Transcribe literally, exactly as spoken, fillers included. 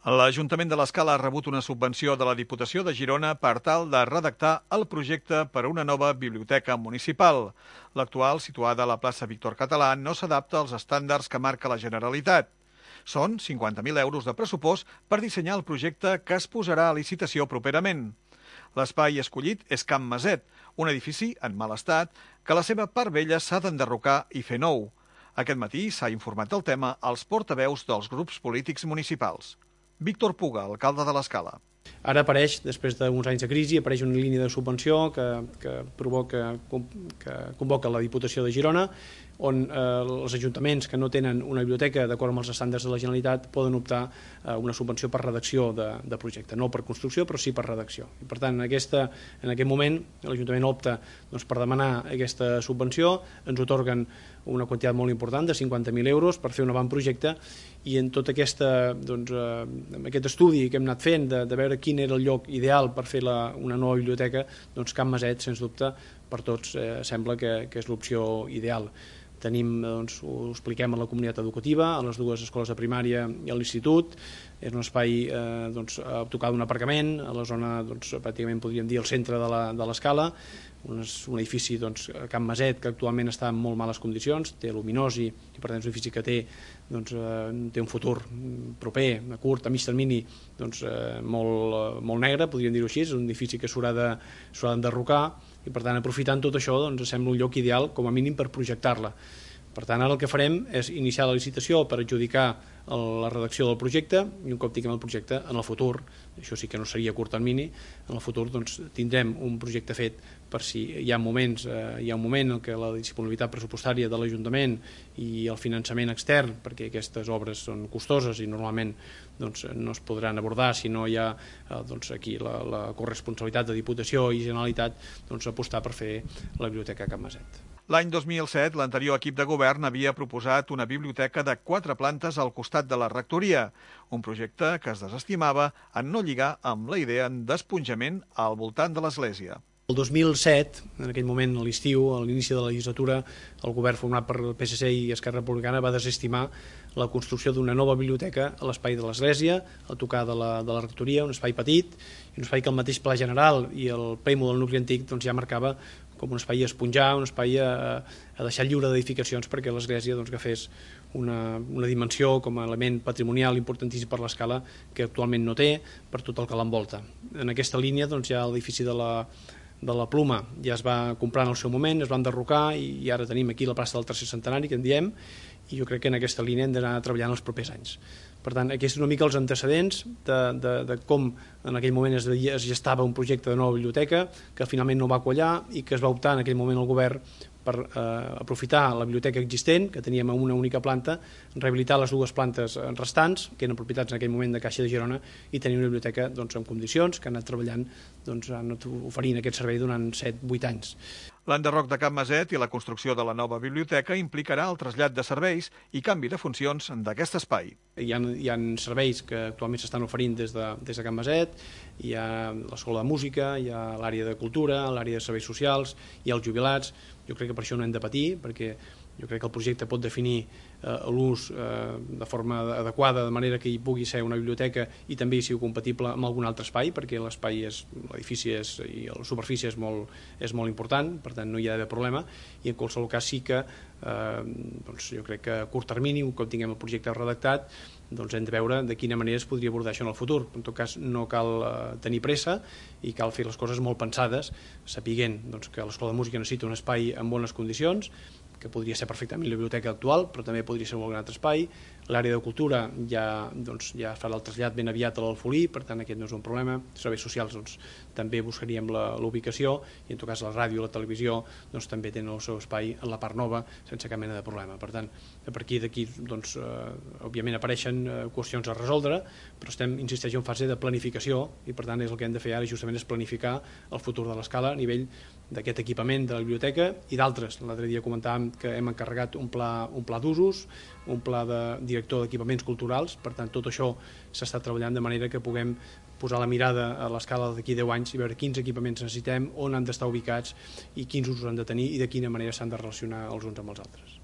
L'Ajuntament de l'Escala ha rebut una subvenció de la Diputació de Girona per tal de redactar el projecte per a una nova biblioteca municipal. L'actual, situada a la plaça Víctor Català, no s'adapta als estàndards que marca la Generalitat. Són cinquanta mil euros de pressupost per dissenyar el projecte que es posarà a licitació properament. L'espai escollit és Can Maset, un edifici en mal estat que la seva part vella s'ha d'enderrocar i fer nou. Aquest matí s'ha informat del tema als portaveus dels grups polítics municipals. Víctor Puga, alcalde de l'Escala. Ara apareix, després d'uns anys de crisi, apareix una línia de subvenció que, que, provoca, que convoca la Diputació de Girona, on eh, els ajuntaments que no tenen una biblioteca d'acord amb els estàndards de la Generalitat poden optar a una subvenció per redacció de, de projecte, no per construcció però sí per redacció. I per tant, en, aquesta, en aquest moment l'Ajuntament opta doncs, per demanar aquesta subvenció, ens otorguen una quantitat molt important de cinquanta mil euros per fer un avantprojecte i en tot aquesta, doncs, eh, aquest estudi que hem anat fent de, de veure quin era el lloc ideal per fer la, una nova biblioteca, doncs Can Maset, sens dubte, per tots eh, sembla que, que és l'opció ideal. Tenim, doncs, ho expliquem a la comunitat educativa, a les dues escoles de primària i a l'institut. És un espai eh, doncs, a tocar d'un aparcament, a la zona, doncs, pràcticament podríem dir, al centre de l'Escala, un, un edifici, doncs, a Can Maset, que actualment està en molt males condicions, té luminós i, i per tant és un edifici que té, doncs, eh, té un futur proper, a curt, a mig termini, doncs, eh, molt, molt negre, podríem dir-ho així, és un edifici que s'haurà d'enderrocar i per tant aprofitant tot això doncs, sembla un lloc ideal com a mínim per projectar-la. Per tant, ara el que farem és iniciar la licitació per adjudicar la redacció del projecte i un cop tinguem el projecte en el futur, això sí que no seria a curt termini, en el futur doncs, tindrem un projecte fet per si hi ha moments, eh, hi ha un moment en què la disponibilitat pressupostària de l'Ajuntament i el finançament extern, perquè aquestes obres són costoses i normalment doncs, no es podran abordar si no hi ha eh, doncs, aquí la, la corresponsabilitat de Diputació i Generalitat, doncs, apostar per fer la biblioteca Can Maset. L'any dos mil set, l'anterior equip de govern havia proposat una biblioteca de quatre plantes al costat de la rectoria, un projecte que es desestimava en no lligar amb la idea d'esponjament al voltant de l'església. El dos mil set, en aquell moment, a l'estiu, a l'inici de la legislatura, el govern format per el P S C i Esquerra Republicana va desestimar la construcció d'una nova biblioteca a l'espai de l'església, a tocar de la, de la rectoria, un espai petit, i un espai que el mateix Pla General i el plèmol del nucli antic doncs, ja marcava com un espai a esponjar, un espai a, a deixar lliure d'edificacions perquè l'església doncs, agafés una, una dimensió com a element patrimonial importantíssim per l'Escala que actualment no té, per tot el que l'envolta. En aquesta línia doncs, ja l'edifici de la de la Pluma ja es va comprar en el seu moment, es va enderrocar i, i ara tenim aquí la plaça del tercer centenari que en diem i jo crec que en aquesta línia hem d'anar treballant els propers anys. Per tant, aquí és una mica els antecedents de, de, de com en aquell moment es, es gestava un projecte de nova biblioteca que finalment no va quallar i que es va optar en aquell moment el govern per eh, aprofitar la biblioteca existent, que teníem en una única planta, rehabilitar les dues plantes restants, que eren propietats en aquell moment de Caixa de Girona, i tenir una biblioteca doncs, en condicions, que ha anat treballant, doncs, ha anat oferint aquest servei durant set vuit anys. L'enderroc de Can Maset i la construcció de la nova biblioteca implicarà el trasllat de serveis i canvi de funcions d'aquest espai. Hi ha, hi ha serveis que actualment s'estan oferint des de, des de Can Maset, hi ha l'escola de música, hi ha l'àrea de cultura, l'àrea de serveis socials, hi ha els jubilats. Jo crec que per això no hem de patir, perquè jo crec que el projecte pot definir eh, l'ús eh, de forma adequada, de manera que hi pugui ser una biblioteca i també sigui compatible amb algun altre espai, perquè l'espai és, l'edifici és, i la superfície és molt, és molt important, per tant no hi ha d'haver problema, i en qualsevol cas sí que eh, doncs jo crec que a curt termini, un cop tinguem el projecte redactat, doncs hem de veure de quina manera es podria abordar això en el futur. En tot cas, no cal eh, tenir pressa i cal fer les coses molt pensades, sapiguent doncs, que l'escola de música necessita un espai en bones condicions, que podria ser perfectament la biblioteca actual, però també podria ser un altre espai. L'àrea de cultura ja, doncs, ja farà el trasllat ben aviat a l'Alfolí, per tant aquest no és un problema. Serveis socials doncs, també buscaríem la ubicació i en tot cas la ràdio i la televisió doncs, també tenen el seu espai en la part nova sense cap mena de problema. Per tant, a partir d'aquí doncs, eh, òbviament apareixen eh, qüestions a resoldre, però estem, insisteixo, en fase de planificació i per tant és el que hem de fer ara justament és planificar el futur de l'Escala a nivell d'aquest equipament de la biblioteca i d'altres. L'altre dia comentàvem que hem encarregat un pla, un pla d'usos, un pla de director d'equipaments culturals, per tant tot això s'està treballant de manera que puguem posar la mirada a l'Escala d'aquí deu anys i veure quins equipaments necessitem, on han d'estar ubicats i quins usos han de tenir i de quina manera s'han de relacionar els uns amb els altres.